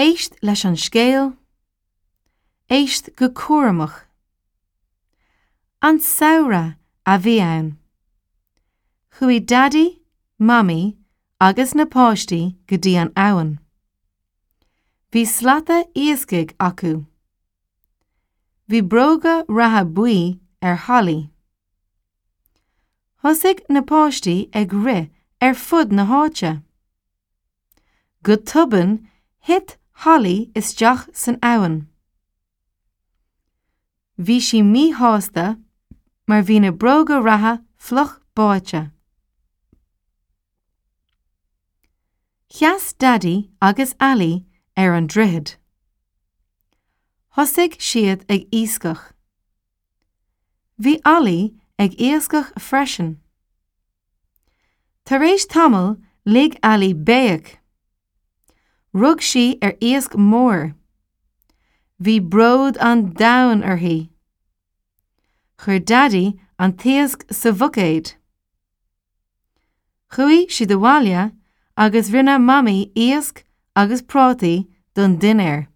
Éist leis an scéal. Éist go cúramach. An samhradh a bhí ann. Chuaigh Daidí, Mamaí agus na páistí go dtí an abhainn. Bhí slata iascaigh acu. Bhí bróga reatha buí ar Holly. Thosaigh na páistí ag rith ar fud na háite. Go tobann thit Holly isteach san abhainn. Bhí sí míshásta mar bhí na bróga reatha fliuch báite. Sheas Daidí agus Ali ar an droichead. Thosaigh siad ag iascach. Bhí Ali ag iascach freisin. Tar éis tamaill lig Ali béic. Rug sí ar iasc mór. Bhí bród an domhain uirthi. Chuir Daidí an t-iasc sa bhuicéad. Chuaigh siad abhaile agus rinne Mamaí iasc agus prátaí don dinnéar.